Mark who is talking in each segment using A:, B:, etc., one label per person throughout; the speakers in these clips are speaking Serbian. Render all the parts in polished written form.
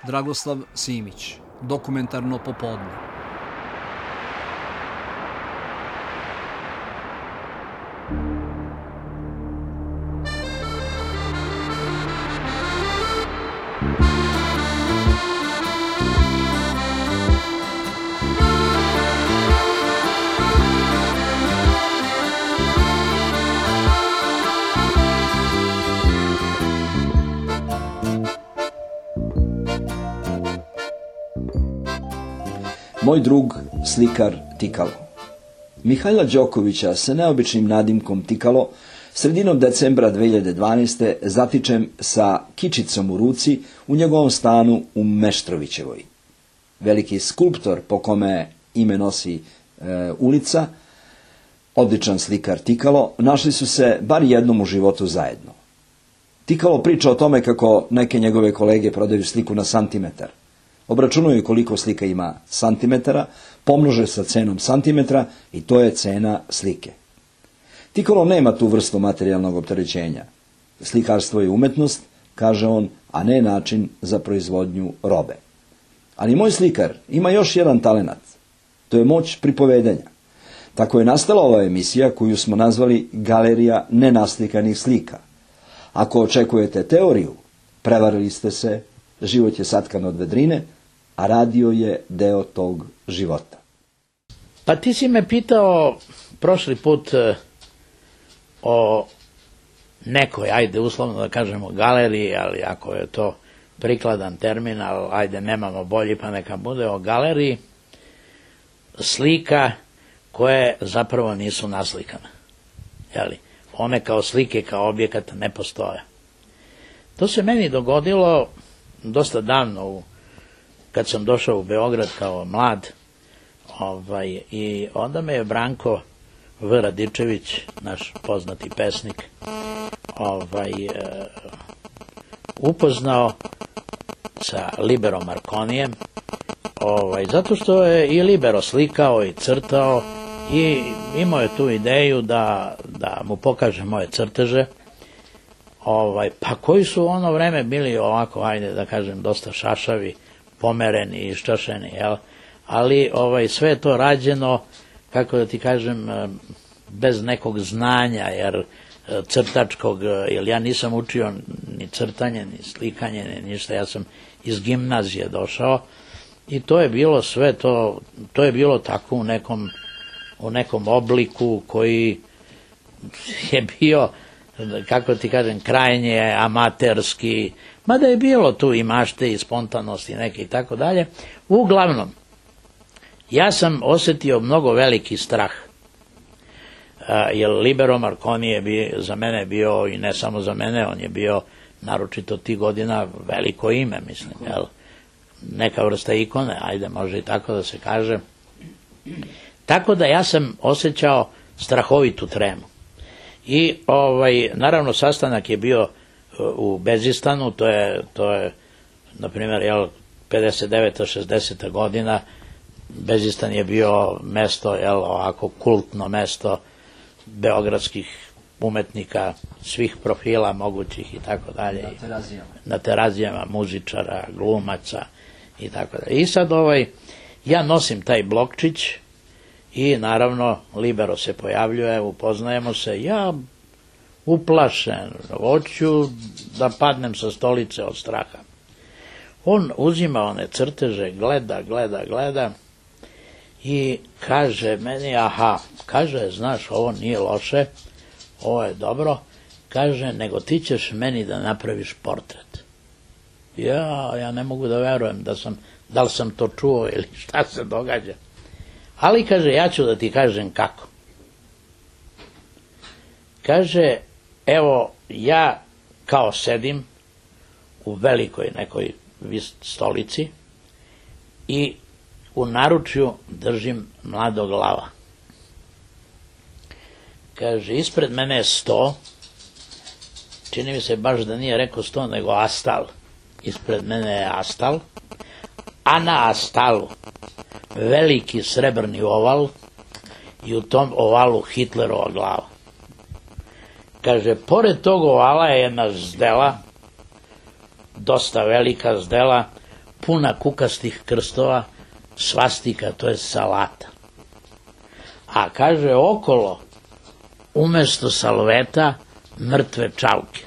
A: Dragoslav Simić, Dokumentarno popodne.
B: Moj drug, slikar Tikalo. Mihajla Đokovića sa neobičnim nadimkom Tikalo sredinom decembra 2012. zatičem sa kičicom u ruci u njegovom stanu u Meštrovićevoj. Veliki skulptor po kome ime nosi ulica, odličan slikar Tikalo, našli su se bar jednom u životu zajedno. Tikalo priča o tome kako neke njegove kolege prodaju sliku na santimetar. Obračunaju koliko slika ima santimetara, pomnože sa cenom santimetra i to je cena slike. Tikalo nema tu vrstu materijalnog opterećenja. Slikarstvo je umetnost, kaže on, a ne način za proizvodnju robe. Ali moj slikar ima još jedan talenat. To je moć pripovedanja. Tako je nastala ova emisija koju smo nazvali Galerija nenaslikanih slika. Ako očekujete teoriju, prevarili ste se, život je satkan od vedrine, a radio je deo tog života.
C: Pa ti si me pitao prošli put o nekoj, ajde uslovno da kažemo galeriji, ali ako je to prikladan termin, ali ajde nemamo bolji pa neka bude o galeriji slika koje zapravo nisu naslikane. Jeli? One kao slike, kao objekat ne postoje. To se meni dogodilo dosta davno, kad sam došao u Beograd kao mlad, i onda me je Branko V. Radičević, naš poznati pesnik, upoznao sa Libero Marconijem, zato što je i Libero slikao i crtao i imao je tu ideju da mu pokaže moje crteže, pa koji su u ono vreme bili ovako, ajde da kažem, dosta šašavi, pomereni i iščašeni, jel? Ali sve je to rađeno, kako da ti kažem, bez nekog znanja, jer crtačkog, jer ja nisam učio ni crtanje, ni slikanje, ni ništa, ja sam iz gimnazije došao i to je bilo sve to je bilo tako u nekom obliku koji je bio, kako ti kažem, krajnje amaterski, mada je bilo tu i mašte i spontanosti neke i tako dalje. Uglavnom, ja sam osjetio mnogo veliki strah, jer Libero Marconi je za mene bio, i ne samo za mene, on je bio naročito tih godina veliko ime, mislim, jel? Neka vrsta ikone, ajde, može i tako da se kaže. Tako da ja sam osjećao strahovitu tremu. I naravno sastanak je bio u Bezistanu, to je na primjer 59. 60. godina, Bezistan je bio mesto, ovako kultno mesto beogradskih umetnika svih profila mogućih i tako dalje. Na terazijama, muzičara, glumaca i tako dalje. I sad ja nosim taj blokčić i naravno Libero se pojavljuje, upoznajemo se, ja uplašen, hoću da padnem sa stolice od straha. On uzima one crteže, gleda i kaže meni, kaže, znaš, ovo nije loše, ovo je dobro, kaže, nego ti ćeš meni da napraviš portret. Ja ne mogu da verujem da li sam to čuo ili šta se događa. Ali, kaže, ja ću da ti kažem kako. Kaže, evo, ja kao sedim u velikoj nekoj stolici i u naručju držim mladog lava. Kaže, ispred mene je sto, čini mi se baš da nije rekao sto, nego astal. Ispred mene je astal, a na astalu veliki srebrni oval i u tom ovalu Hitlerova glava. Kaže, pored tog ovala je jedna zdela, dosta velika zdela, puna kukastih krstova, svastika, to je salata. A kaže okolo, umesto salveta, mrtve čauke.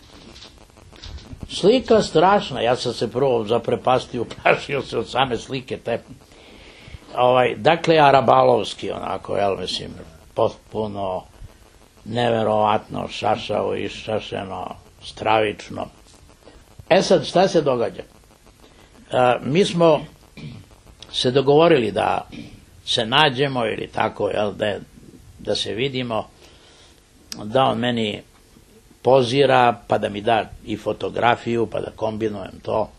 C: Slika strašna, ja sam se prvo zaprepastio, uplašio se od same slike te. Dakle, arabalovski onako, mislim, potpuno neverovatno, šašavo, išašeno, stravično. Sad, šta se događa? Mi smo se dogovorili da se nađemo ili tako, da se vidimo, da on meni pozira, pa da mi da i fotografiju, pa da kombinujem to.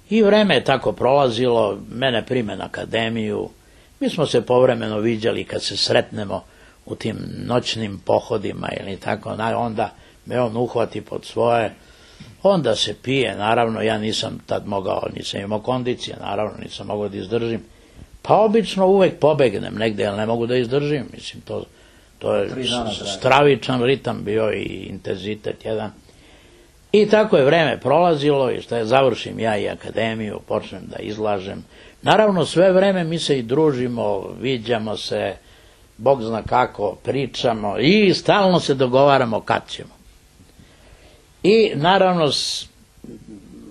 C: I vreme je tako prolazilo, mene prime na akademiju, mi smo se povremeno viđali kad se sretnemo u tim noćnim pohodima ili tako, onda me on uhvati pod svoje, onda se pije, naravno, ja nisam tad mogao, nisam imao kondicije, naravno, nisam mogao da izdržim, pa obično uvek pobegnem negde, ali ne mogu da izdržim, mislim, to je stravičan ritam bio i intenzitet jedan. I tako je vreme prolazilo i završim ja i akademiju, počnem da izlažem. Naravno, sve vreme mi se i družimo, viđamo se, Bog zna kako, pričamo i stalno se dogovaramo kad ćemo. I naravno,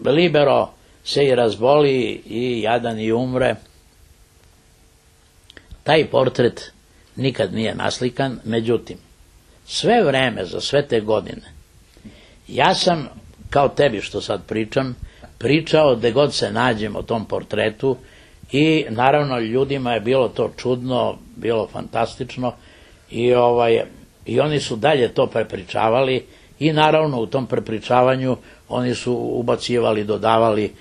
C: Libero se i razboli i jadan i umre. Taj portret nikad nije naslikan, međutim, sve vreme, za sve te godine, ja sam, kao tebi što sad pričam, pričao gde god se nađem o tom portretu i naravno ljudima je bilo to čudno, bilo fantastično i oni su dalje to prepričavali i naravno u tom prepričavanju oni su ubacivali, dodavali,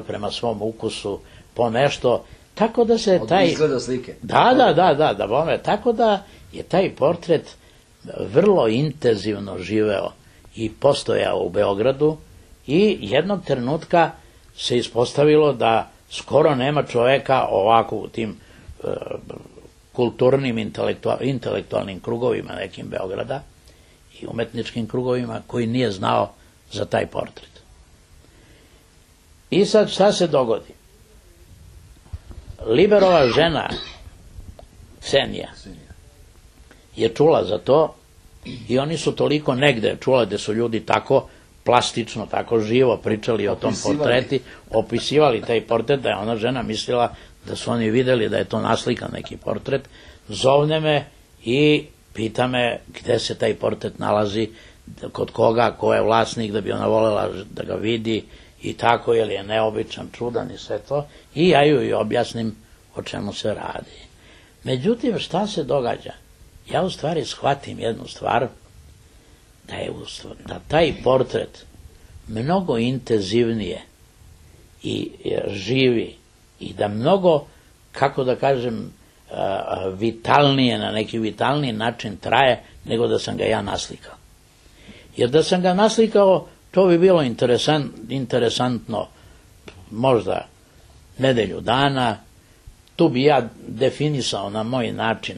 C: prema svom ukusu po nešto, tako da se taj...
B: Od izgleda slike.
C: Da, bome, tako da je taj portret vrlo intenzivno živeo i postojao u Beogradu i jednog trenutka se ispostavilo da skoro nema čoveka ovako u tim kulturnim, intelektualnim krugovima nekim Beograda i umetničkim krugovima koji nije znao za taj portret. I sad šta se dogodi? Liberova žena, Ksenija, je čula za to i oni su toliko negde čula da su ljudi tako plastično, tako živo pričali o tom portreti, opisivali taj portret, da je ona žena mislila da su oni videli da je to naslikan neki portret, zovne me i pita me gde se taj portret nalazi, kod koga, ko je vlasnik, da bi ona volela da ga vidi i tako, jer je neobičan, čudan i sve to, i ja ju i objasnim o čemu se radi. Međutim, šta se događa? Ja u stvari shvatim jednu stvar, da taj portret mnogo intenzivnije i živi i da mnogo, kako da kažem, vitalnije, na neki vitalniji način traje nego da sam ga ja naslikao. Jer da sam ga naslikao, to bi bilo interesantno možda nedelju dana, tu bi ja definisao na moj način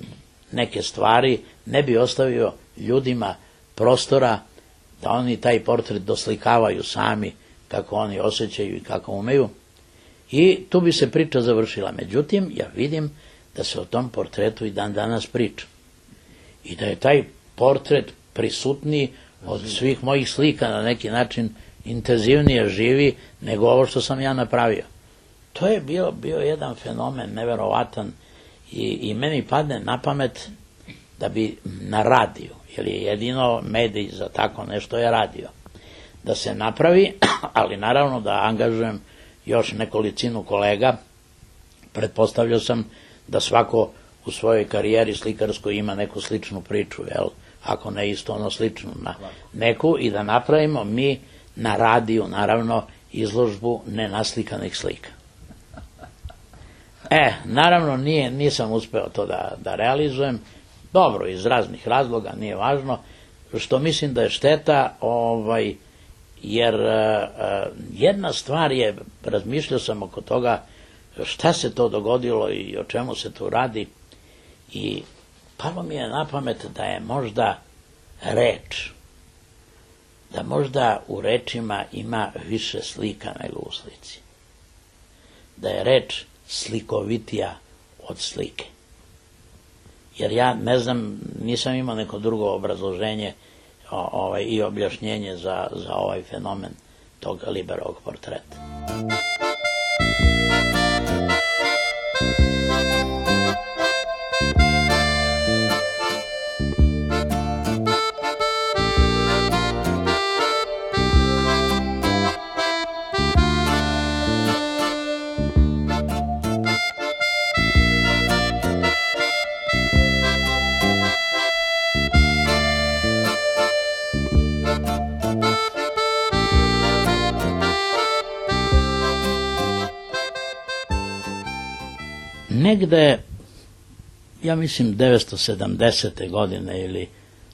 C: neke stvari, ne bi ostavio ljudima prostora da oni taj portret doslikavaju sami kako oni osjećaju i kako umeju i tu bi se priča završila. Međutim, ja vidim da se o tom portretu i dan danas priča i da je taj portret prisutniji od svih mojih slika, na neki način intenzivnije živi nego ovo što sam ja napravio. To je bio jedan fenomen neverovatan i meni padne na pamet da bi na radiju, jer je jedino medij za tako nešto je radio, da se napravi, ali naravno da angažujem još nekolicinu kolega. Pretpostavljao sam da svako u svojoj karijeri slikarskoj ima neku sličnu priču, ako ne isto ono sličnu na neku, i da napravimo mi na radiju, naravno, izložbu nenaslikanih slika. Naravno, nisam uspeo to da realizujem, dobro, iz raznih razloga, nije važno, što mislim da je šteta, jer jedna stvar je, razmišljao sam oko toga šta se to dogodilo i o čemu se tu radi i palo mi je na pamet da je možda reč, da možda u rečima ima više slika nego u slici. da je reč slikovitija od slike. Jer ja ne znam, nisam imao neko drugo obrazloženje i objašnjenje za ovaj fenomen tog Liberovog portreta. Negde, ja mislim 970. godine ili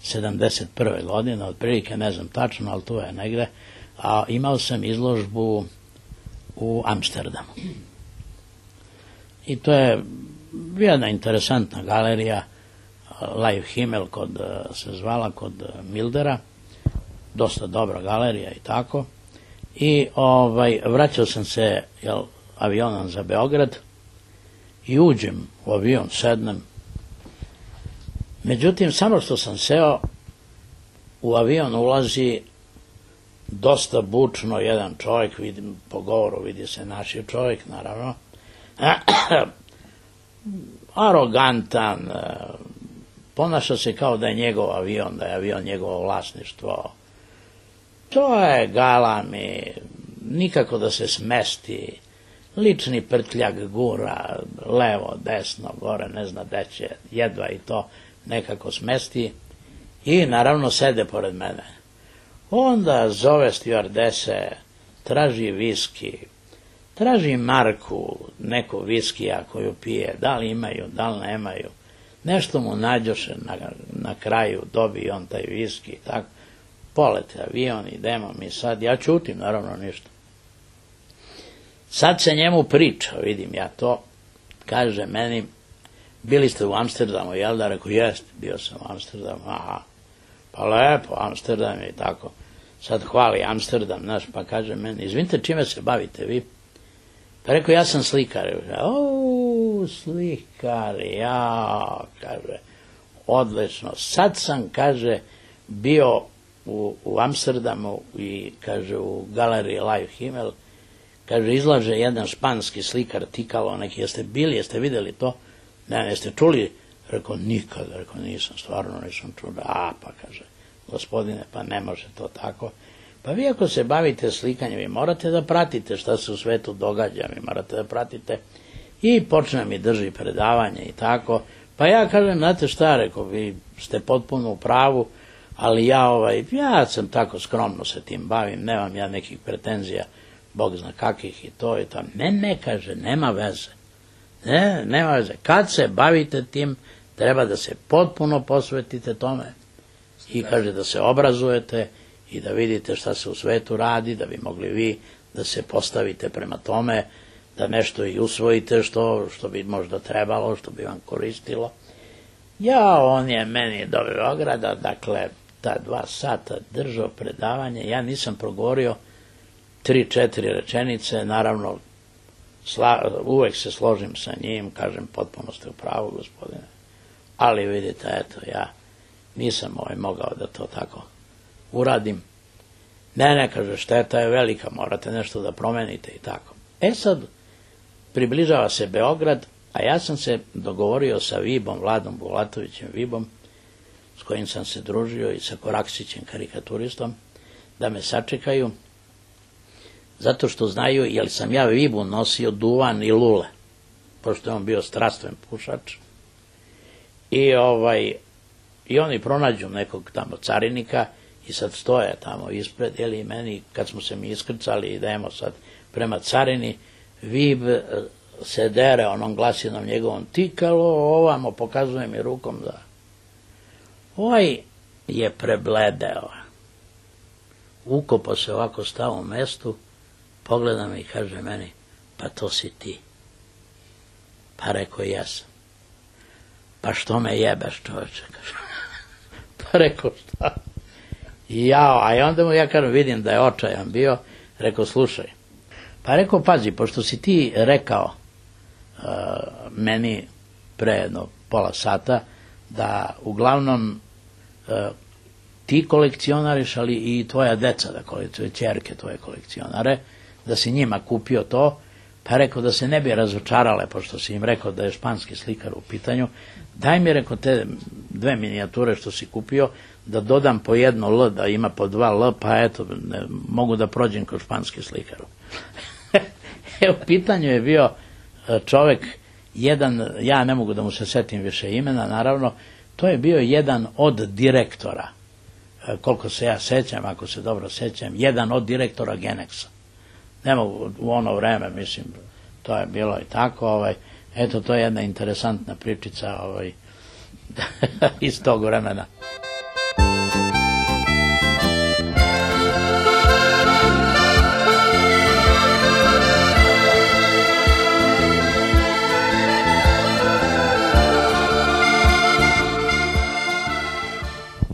C: 71. godine, otprilike ne znam tačno, ali tu je negde, a imao sam izložbu u Amsterdamu. I to je jedna interesantna galerija, Live Himmel se zvala, kod Mildera, dosta dobra galerija i tako. I vraćao sam se avionom za Beograd, i uđem u avion, sednem. Međutim, samo što sam seo, u avion ulazi dosta bučno jedan čovjek, vidim, po govoru vidi se naš je čovjek, naravno, arogantan, ponaša se kao da je njegov avion, da je avion njegovo vlasništvo. To je galami, nikako da se smesti, lični prtljak gura, levo, desno, gore, ne zna gde će, jedva i to nekako smesti i naravno sede pored mene. Onda zove stjuardese, traži viski, traži marku neku viskija koju pije, da li imaju, da li nemaju. Nešto mu nađoše na kraju, dobije on taj viski i tako. Polete avion, idemo mi sad, ja ćutim, naravno ništa. Sad se njemu priča, vidim ja to, kaže meni, bili ste u Amsterdamu, jel da? Rekao, jeste, bio sam u Amsterdamu, aha, pa lepo, Amsterdam i tako. Sad hvali Amsterdam, znaš, pa kaže meni, izvinite, čime se bavite vi? Pa rekao, ja sam slikar. Slikar, ja, kaže, odlično. Sad sam, kaže, bio u Amsterdamu i, kaže, u galeriji Live Himmel, kaže, izlaže jedan španski slikar Tikalo, neki, jeste bili, jeste vidjeli to? Ne, jeste čuli? Rekao, nikada, rekao, nisam, stvarno nisam čuo. Pa kaže, gospodine, pa ne može to tako. Pa vi ako se bavite slikanjem, vi morate da pratite šta se u svetu događa, vi morate da pratite. I počne mi drži predavanje i tako. Pa ja kažem, znate šta, rekao, vi ste potpuno u pravu, ali ja sam tako skromno se tim bavim, nemam ja nekih pretenzija, Bog zna kakih i to i to. Ne, kaže, nema veze. Nema veze. Kad se bavite tim, treba da se potpuno posvetite tome. I kaže da se obrazujete i da vidite šta se u svetu radi, da bi mogli vi da se postavite prema tome, da nešto i usvojite što bi možda trebalo, što bi vam koristilo. On je meni do Beograda, dakle, ta 2 sata držao predavanje, ja nisam progovorio 3-4 rečenice, naravno, uvek se složim sa njim, kažem, potpuno ste u pravu, gospodine, ali vidite, eto, ja nisam mogao da to tako uradim. Ne, kaže, šteta je velika, morate nešto da promenite i tako. Sad, približava se Beograd, a ja sam se dogovorio sa Vibom, Vladom Bulatovićem Vibom, s kojim sam se družio i sa Koraksićem, karikaturistom, da me sačekaju, zato što znaju, jer sam ja Vibu nosio duvan i lule, pošto je on bio strastven pušač. I oni pronađu nekog tamo carinika i sad stoje tamo ispred, i meni, kad smo se mi iskrcali, idemo sad prema carini, Vib se dere onom glasinom njegovom, Tikalo, ovamo, pokazuje mi rukom da... je prebledeo. Ukopo se ovako stao u mestu, pogleda me i kaže meni, pa to si ti. Pa rekao, jesam. Pa što me jebeš, čoveče, kaže. Pa rekao, šta? A onda mu ja kažem, vidim da je očajan bio, rekao, slušaj, Pa rekao, pazi, pošto si ti rekao meni pre jedno pola sata da uglavnom ti kolekcionariš, ali i tvoja deca, da kolekcionare, ćerke tvoje kolekcionare, da si njima kupio to, pa rekao da se ne bi razočarale, pošto si im rekao da je španski slikar u pitanju, daj mi, rekao, te 2 minijature što si kupio, da dodam po jedno L, da ima po 2 L, pa eto, mogu da prođem kod španski slikaru. U pitanju je bio čovek, jedan, ja ne mogu da mu se setim više imena, naravno, to je bio jedan od direktora, koliko se ja sećam, ako se dobro sećam, jedan od direktora Genexa. Ne mogu, u ono vreme, mislim, to je bilo i tako, eto, to je jedna interesantna pričica iz tog vremena.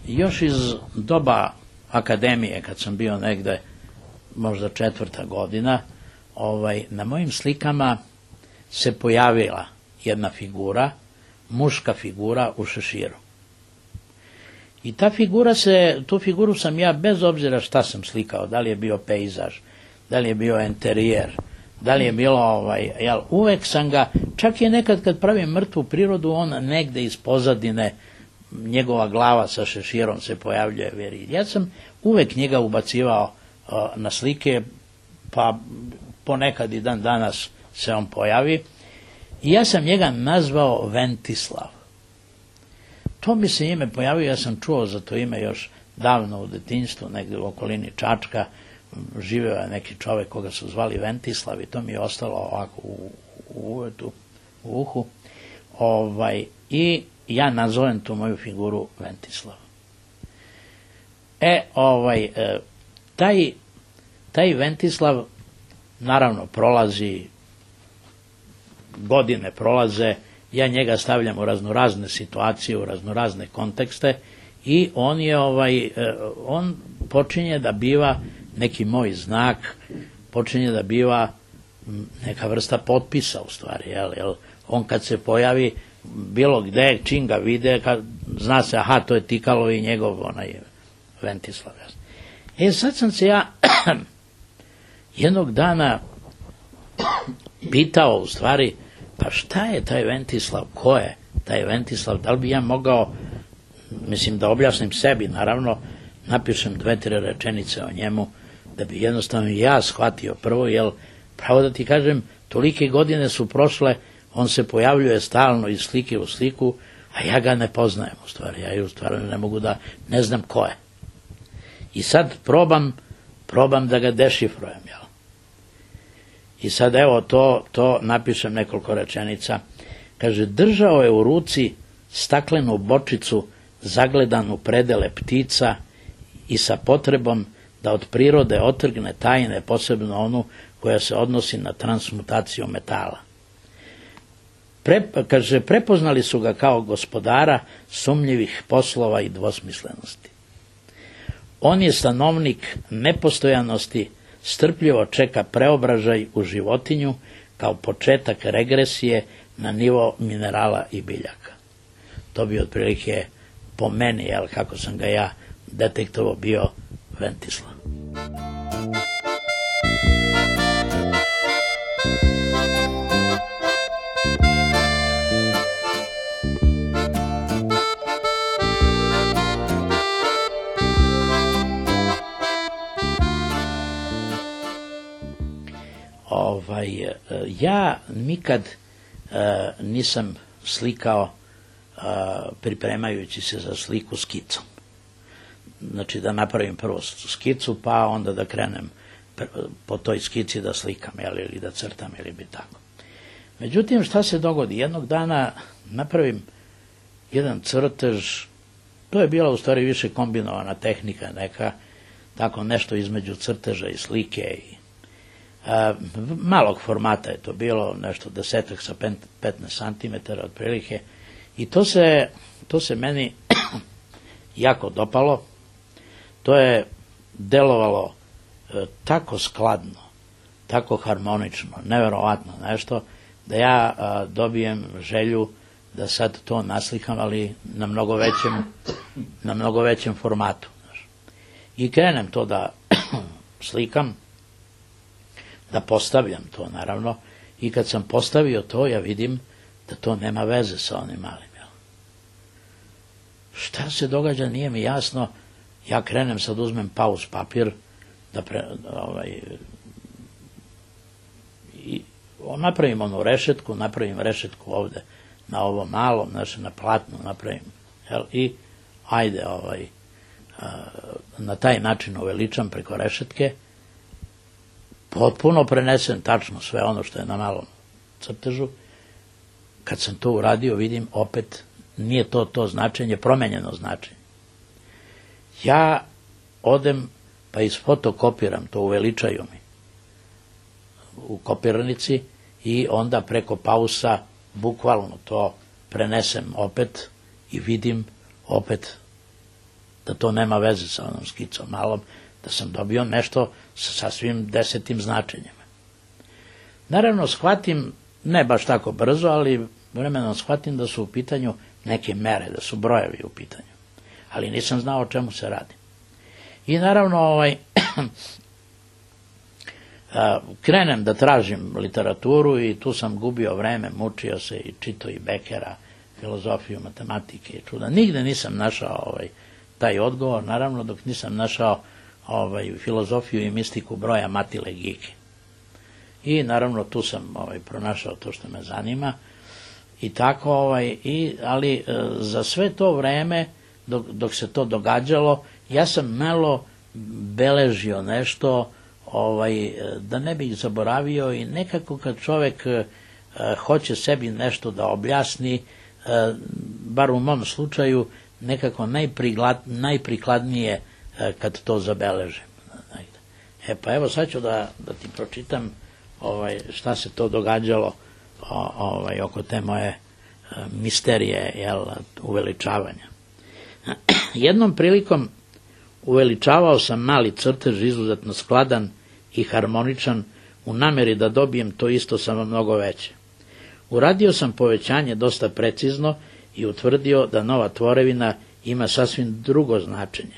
C: Još iz doba akademije, kad sam bio negde, možda 4. godina, na mojim slikama se pojavila jedna figura, muška figura u šeširu. I tu figuru sam ja, bez obzira šta sam slikao, da li je bio pejzaž, da li je bio enterijer, da li je bilo, uvek sam ga, čak je nekad kad pravim mrtvu prirodu, on negde iz pozadine, njegova glava sa šeširom se pojavljuje. Ja sam uvek njega ubacivao na slike, pa ponekad i dan danas se on pojavi. I ja sam njega nazvao Ventislav. To mi se ime pojavio, ja sam čuo za to ime još davno u detinjstvu, negde u okolini Čačka, živeo je neki čovek koga su zvali Ventislav i to mi je ostalo ovako u uhu. I ja nazovem tu moju figuru Ventislav. Taj Ventislav, naravno, godine prolaze, ja njega stavljam u raznorazne situacije, u raznorazne kontekste i on počinje da biva neki moj znak, počinje da biva neka vrsta potpisa u stvari, jel? On kad se pojavi bilo gde, čim ga vide, zna se, aha, to je Tikalo i njegov Ventislav. Sad sam se ja jednog dana pitao u stvari, pa šta je taj Ventislav, ko je taj Ventislav, da li bi ja mogao, mislim, da objasnim sebi, naravno, napišem 2-3 rečenice o njemu, da bi jednostavno ja shvatio prvo, jer pravo da ti kažem, tolike godine su prošle, on se pojavljuje stalno iz slike u sliku, a ja ga ne poznajem u stvari, ja u stvari ne mogu da, ne znam ko je. I sad probam da ga dešifrujem, jel? I sad evo to napišem nekoliko rečenica. Kaže, držao je u ruci staklenu bočicu zagledanu predele ptica i sa potrebom da od prirode otrgne tajne, posebno onu koja se odnosi na transmutaciju metala. Kaže, prepoznali su ga kao gospodara sumnjivih poslova i dvosmislenosti. On je stanovnik nepostojanosti, strpljivo čeka preobražaj u životinju kao početak regresije na nivo minerala i biljaka. To bi otprilike po meni, kako sam ga ja detektovao, bio Ventislav. Ja nikad nisam slikao pripremajući se za sliku skicom. Znači da napravim prvo skicu, pa onda da krenem po toj skici da slikam, ili da crtam, ili bi tako. Međutim, šta se dogodi? Jednog dana napravim jedan crtež, to je bila u stvari više kombinovana tehnika neka, tako nešto između crteža i slike i malog formata je to bilo, nešto 10 sa 15 cm otprilike, i to se meni jako dopalo. To je delovalo tako skladno, tako harmonično, neverovatno nešto, da ja dobijem želju da sad to naslikam, ali na mnogo većem formatu. Znaš. I krenem to da slikam, da postavljam to naravno, i kad sam postavio to, ja vidim da to nema veze sa onim malim. Jel? Šta se događa, nije mi jasno. Ja krenem, sad uzmem pauz papir, napravim onu rešetku, napravim rešetku ovde na ovo malom, znači na platnu napravim, jel? I ajde, na taj način uveličam preko rešetke, potpuno prenesem tačno sve ono što je na malom crtežu. Kad sam to uradio, vidim opet nije to značenje, promenjeno značenje. Ja odem pa isfotokopiram to, uveličaju mi u kopirnici i onda preko pausa bukvalno to prenesem opet i vidim opet da to nema veze sa onom skicom malom, da sam dobio nešto sa sasvim 10. značenjima. Naravno, shvatim, ne baš tako brzo, ali vremenom shvatim da su u pitanju neke mere, da su brojevi u pitanju. Ali nisam znao o čemu se radi. I naravno, krenem da tražim literaturu i tu sam gubio vreme, mučio se i čitao i Bekera, filozofiju, matematike i čuda. Nigde nisam našao taj odgovor, naravno dok nisam našao filozofiju i mistiku broja Matile Gike. I naravno tu sam pronašao to što me zanima i tako, ali za sve to vreme dok se to događalo, ja sam malo beležio nešto, da ne bih zaboravio, i nekako kad čovek hoće sebi nešto da objasni, bar u mom slučaju, nekako najprikladnije kad to zabeležim. Pa evo sad ću da ti pročitam šta se to događalo oko te moje misterije, uveličavanja. Jednom prilikom uveličavao sam mali crtež, izuzetno skladan i harmoničan, u nameri da dobijem to isto samo mnogo veće. Uradio sam povećanje dosta precizno i utvrdio da nova tvorevina ima sasvim drugo značenje.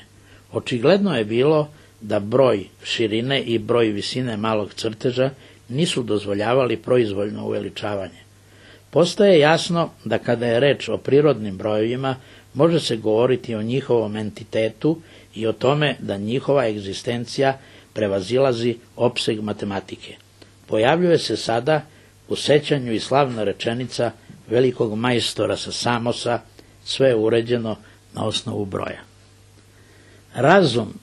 C: Očigledno je bilo da broj širine i broj visine malog crteža nisu dozvoljavali proizvoljno uveličavanje. Postaje jasno da kada je reč o prirodnim brojevima, može se govoriti o njihovom entitetu i o tome da njihova egzistencija prevazilazi opseg matematike. Pojavljuje se sada u sećanju i slavna rečenica velikog majstora sa Samosa, sve je uređeno na osnovu broja. Razum,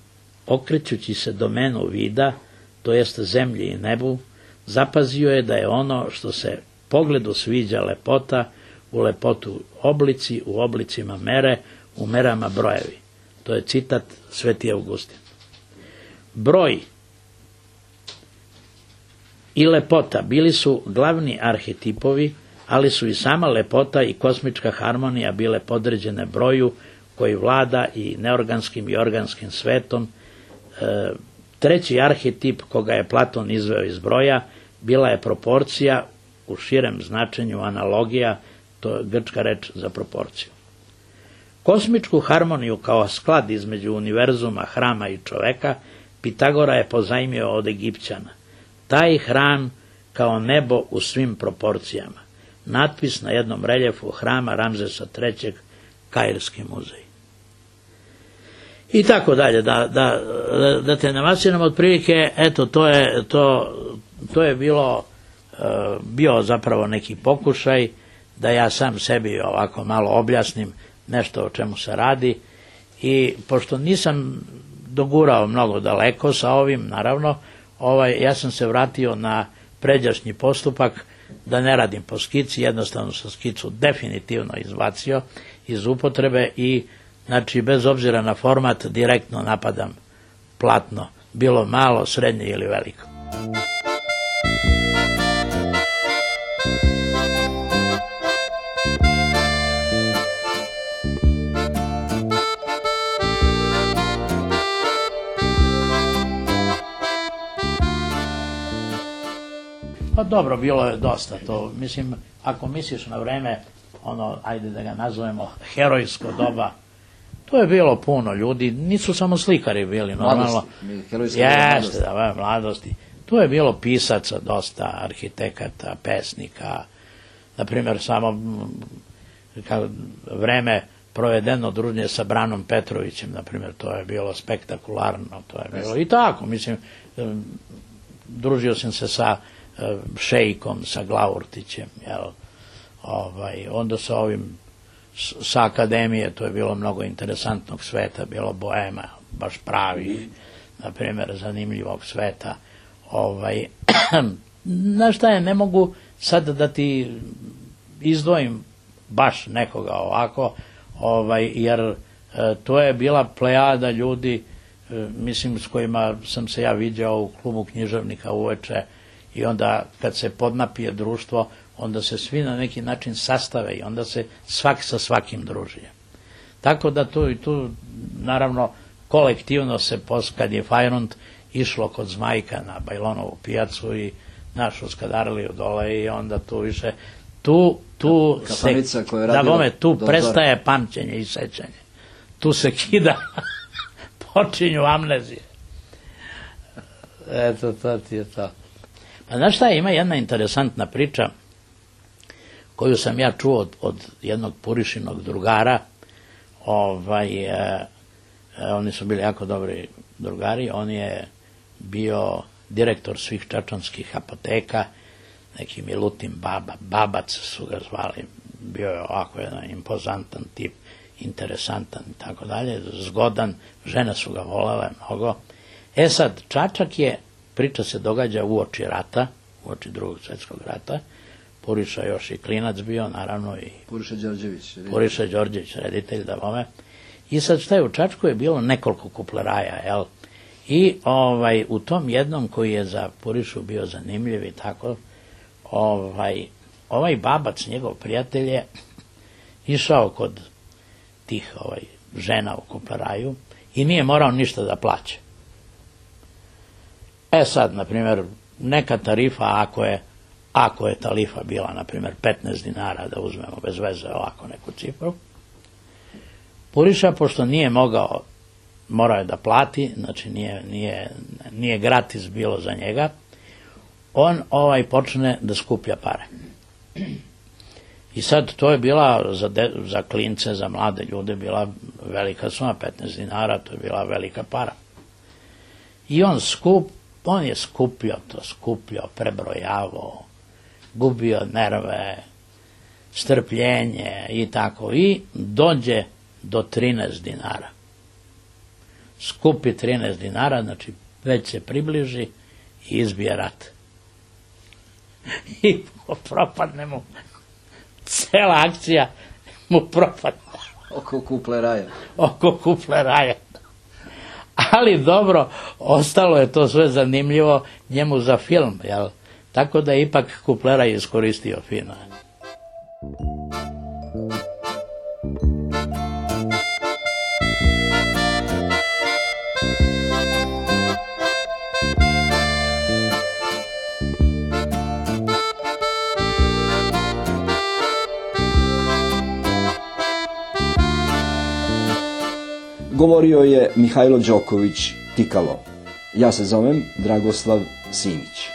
C: okrećući se domenu vida, to jest zemlji i nebu, zapazio je da je ono što se pogledu sviđa lepota, u lepotu oblici, u oblicima mere, u merama brojevi. To je citat Sveti Augustin. Broj i lepota bili su glavni arhetipovi, ali su i sama lepota i kosmička harmonija bile podređene broju koji vlada i neorganskim i organskim svetom. Treći arhetip koga je Platon izveo iz broja bila je proporcija, u širem značenju analogija, to je grčka reč za proporciju. Kosmičku harmoniju kao sklad između univerzuma, hrama i čoveka Pitagora je pozajmio od Egipćana. Taj hram kao nebo u svim proporcijama. Natpis na jednom reljefu hrama Ramzesa III, Kairski muzej. I tako dalje, da te navasiram otprilike, eto, to je bio zapravo neki pokušaj da ja sam sebi ovako malo objasnim nešto o čemu se radi, i pošto nisam dogurao mnogo daleko sa ovim, naravno, ja sam se vratio na pređašnji postupak, da ne radim po skici, jednostavno sam skicu definitivno izbacio iz upotrebe i, znači, bez obzira na format, direktno napadam platno, bilo malo, srednje ili veliko. dobro, bilo je dosta to. Mislim, ako misliš na vreme, ajde da ga nazovemo, herojsko doba, to je bilo puno ljudi, nisu samo slikari bili, normalno. Jeste, da, mladosti. Tu je bilo pisaca dosta, arhitekata, pesnika, na primjer, samo vreme provedeno druženje sa Branom Petrovićem, na primjer, to je bilo spektakularno, to je bilo i tako, mislim, družio sam se sa Šejkom, sa Glaurtićem, jel, onda sa ovim, sa akademije, to je bilo mnogo interesantnog sveta, bilo boema, baš pravi, na primjer, zanimljivog sveta. Znaš šta je, ne mogu sad da ti izdvojim baš nekoga ovako, jer to je bila plejada ljudi, mislim, s kojima sam se ja viđao u klubu književnika uveče, i onda kad se podnapije društvo, onda se svi na neki način sastave i onda se svaki sa svakim druži. Tako da tu naravno kolektivno se, kad je Fajrunt išlo kod Zmajka na Bajlonovu pijacu i našu Skadarliju dole, i onda tu više tu prestaje pamćenje i sećanje. Tu se kida, počinju amnezije. Eto, to ti je to. Pa znaš šta, ima jedna interesantna priča koju sam ja čuo od jednog Purišinog drugara. Oni su bili jako dobri drugari. On je bio direktor svih čačanskih apoteka, neki Milutin Babac su ga zvali, bio je ovako jedan impozantan tip, interesantan i tako dalje, zgodan, žene su ga volele mnogo. Sad, Čačak je, priča se događa uoči rata, uoči Drugog svjetskog rata, Puriša još i klinac bio, naravno, i Puriša Đorđević, reditelj, da bome. I sad šta je, u Čačku je bilo nekoliko kupleraja, jel? I u tom jednom koji je za Purišu bio zanimljiv i tako, ovaj Babac, njegov prijatelj, je išao kod tih žena u kupleraju i nije morao ništa da plaća. Sad, na primjer, neka tarifa, ako je tarifa bila, na primjer, 15 dinara, da uzmemo bez veze ovako neku cifru, Puriša, pošto nije morao je da plati, znači nije gratis bilo za njega, on počne da skuplja pare. I sad to je bila za klince, za mlade ljude, bila velika suma, 15 dinara, to je bila velika para. I on je skupljao, prebrojavao, gubio nerve, strpljenje i tako, i dođe do 13 dinara. Skupi 13 dinara, znači već se približi i izbije rat. I propadne mu, cela akcija mu propadne. Oko kupleraja. Ali dobro, ostalo je to sve zanimljivo njemu za film, jel? Tako da je ipak kupleraj iskoristio fino.
B: Govorio je Mihajlo Đoković Tikalo. Ja se zovem Dragoslav Simić.